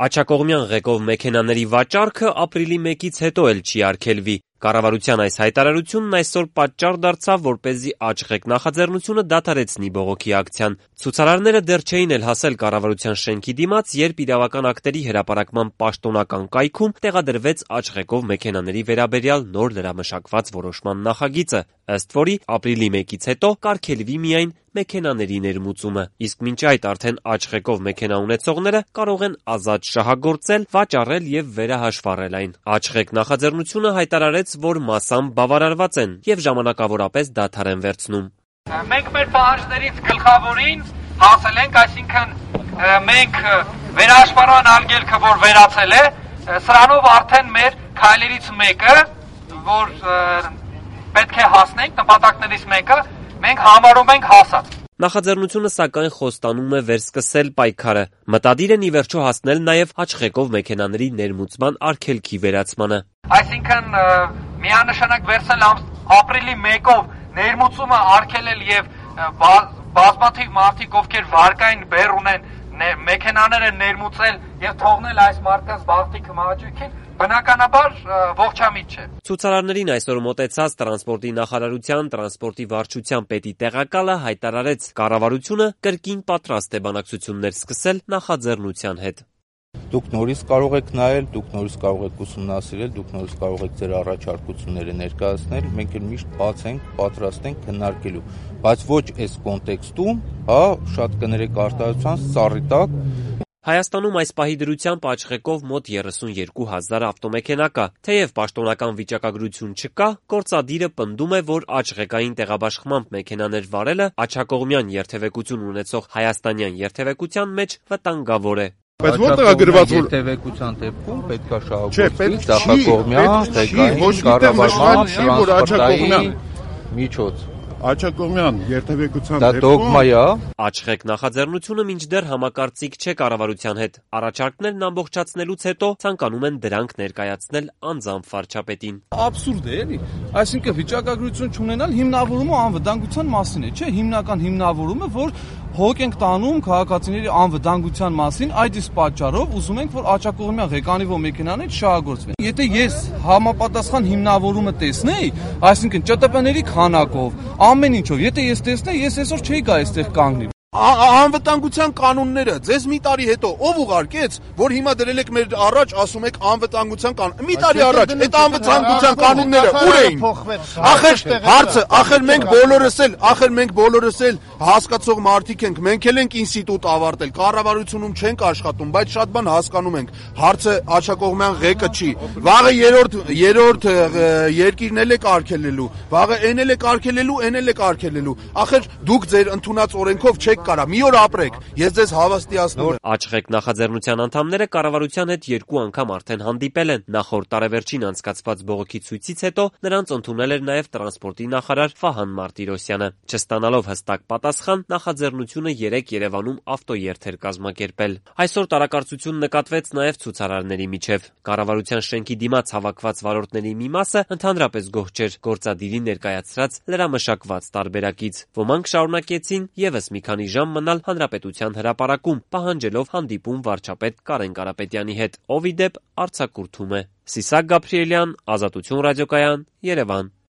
Աջակողմյան ղեկով մեքենաների վաճառքը ապրիլի 1-ից հետո էլ չի արգելվի։ Կառավարության այս հայտարարությունն այսօր պատճառ դարձավ, որպեսզի Աչղեկ նախաձեռնությունը դադարեցնի բողոքի ակցիան։ Ցուցարարները դեռ չէին էլ հասել կառավարության շենքի դիմաց, երբ իրավական ակտերի հրապարակման պաշտոնական կայքում տեղադրվեց Աչղեկով մեքենաների վերաբերյալ նոր լրամշակված որոշման նախագիծը, ըստ որի ապրիլի 1-ից հետո կարգելվի միայն մեքենաների ներմուծումը, իսկ մինչ այդ արդեն Աչղեկով մեքենա ունեցողները կարող են ազատ շահագործել, վաճառել եւ վերահաշվառել այն։ Աչղեկ նախաձեռնությունը հայտարարեց, որ մասամբ բավարարված են եւ ժամանակավորապես դադար են վերցնում։ Մենք մեր պահանջներից գլխավորին հասել ենք, այսինքն մենք վերահաշվառման արգելքը, որ վերացել է, սրանով արդեն մեր քայլերից մեկը, որ պետք է հասնենք, նպատակներից մեկը մենք համարում ենք հասած։ Նախաձեռնությունը սակայն խոստանում է վերսկսել պայքարը։ Մտադիր են ի վերջո հասնել նաև Աչղեկով մեքենաների ներմուծման արգելքի վերացմանը։ Այսինքն միանշանակ վերցնել ապրիլի 1-ով ներմուծումը արգելել եւ բազմաթիվ մարդիկ, ովքեր վարկային բեռ ունեն, մեքենաները ներմուծել եւ թողնել այս մարդկանց բախտի մահաճույքին, բնականաբար ողջամիտ չէ։ Ցուցարարներին այսօր մոտեցած տրանսպորտի նախարարության տրանսպորտի վարչության պետի տեղակալը հայտարարեց, կառավարությունը կրկին պատրաստ է բանակցություններ սկսել նախաձեռնության հետ։ Դուք նորից կարող եք նայել, դուք նորից կարող եք ուսումնասիրել, դուք նորից կարող եք ձեր առաջարկությունները ներկայացնել, մենք էլ միշտ բաց ենք, պատրաստ ենք քննարկելու, բայց ոչ այս կոնտեքստում, շատ կներեք արտահայտության սառի տակ։ Հայաստանում այս պահի դրությամբ Աչղեկով մոտ 32,000 ավտոմեքենա կա, թեև պաշտոնական վիճակագրություն չկա, գործադիրը պնդում է, որ Աչղեկային տեղաբաշխմամբ մեքենաներ վարելը աջակողմյան երթևեկություն ունեցող հայաստանյան երթևեկության մեջ վտանգավոր է։ Բայց որտեղ է գրված, որ երթևեկության դեպքում պետք է շահագործվի աջակողմյան կառավարման տրանսպորտային միջոց։ Աջակողմյան երթևեկության դեպքում դա դոգմա է։ Աչղեկ նախաձեռնությունը մինչդեռ համակարծիք չէ կառավարության հետ։ Առաջարկներն ամբողջացնելուց հետո ցանկանում են դրանք ներկայացնել անձամբ վարչապետին։ Աբսուրդ է, էլի։ Այսինքն վիճակագրություն չունենալ հիմնավորումը անվտանգության մասին է, չէ՞, հիմնական հիմնավորումը, որ հոգ ենք տանում քաղաքացիների անվտանգության մասին, այդ իսկ պատճառով ուզում ենք, որ աջակողմյան ղեկանիվո մեքենաներ շահագործվեն։ Եթե ես համապատասխան հիմնավորումը տեսնեի, այսինքն ՃՏՊ-ների քանակով, ամեն ինչով, եթե ես տեսնեի, ես այսօր չէի գա այստեղ կանգնի։ Անվտանգության կանոնները ձեզ մի տարի հետո ով ուղարկեց, որ հիմա դրել եք մեր առաջ, ասում եք անվտանգության կանոն։ Մի տարի առաջ այդ անվտանգության կանոնները ուր էին։ Ախր մենք բոլորս էլ հասկացող մարդիկ ենք, մենք էլ ենք ինստիտուտ ավարտել, կառավարությունում չենք աշխատում, բայց շատ բան հասկանում ենք։ Հարցը աջակողմյան ղեկը չի։ Վաղը երրորդ երկիրն էլ է կարգելելու, վաղը այն էլ է կարգելելու, այն էլ է կարգելելու։ Ախր դուք ձեր ընդունած օրենքով չեք կարա, մի օր ապրեք, ես ձեզ հավաստիացնում եմ։ Աչղեկ նախաձեռնության անդամները կառավարության հետ 2 անգամ արդեն հանդիպել են։ Նախորդ տարեվերջին անցկացված բողոքի ցույցից հետո նրանց ընդունել էր նաև տրանսպորտի նախարար Վահան Մարտիրոսյանը։ Չստանալով հստակ պատասխան, նախաձեռնությունը 3 Երևանում ավտոերթ էր կազմակերպել։ Այսօր տարակարծություն նկատվեց նաև ցուցարարների միջև։ Կառավարության շենքի դիմաց հավաքված վարորդների մի մասը ընդհանրապես գոհ չէր գործադիրի ներկայացրած լրամշակված տարբերակից։ Ոմանք շարունակեցին եւս մի քանի ժամ մնալ Հանրապետության հրապարակում, պահանջելով հանդիպում վարչապետ Կարեն Կարապետյանի հետ, ով ի դեպ արձակուրդում է։ Սիսակ Գաբրիելյան, Ազատություն ռադիոկայան, Երևան։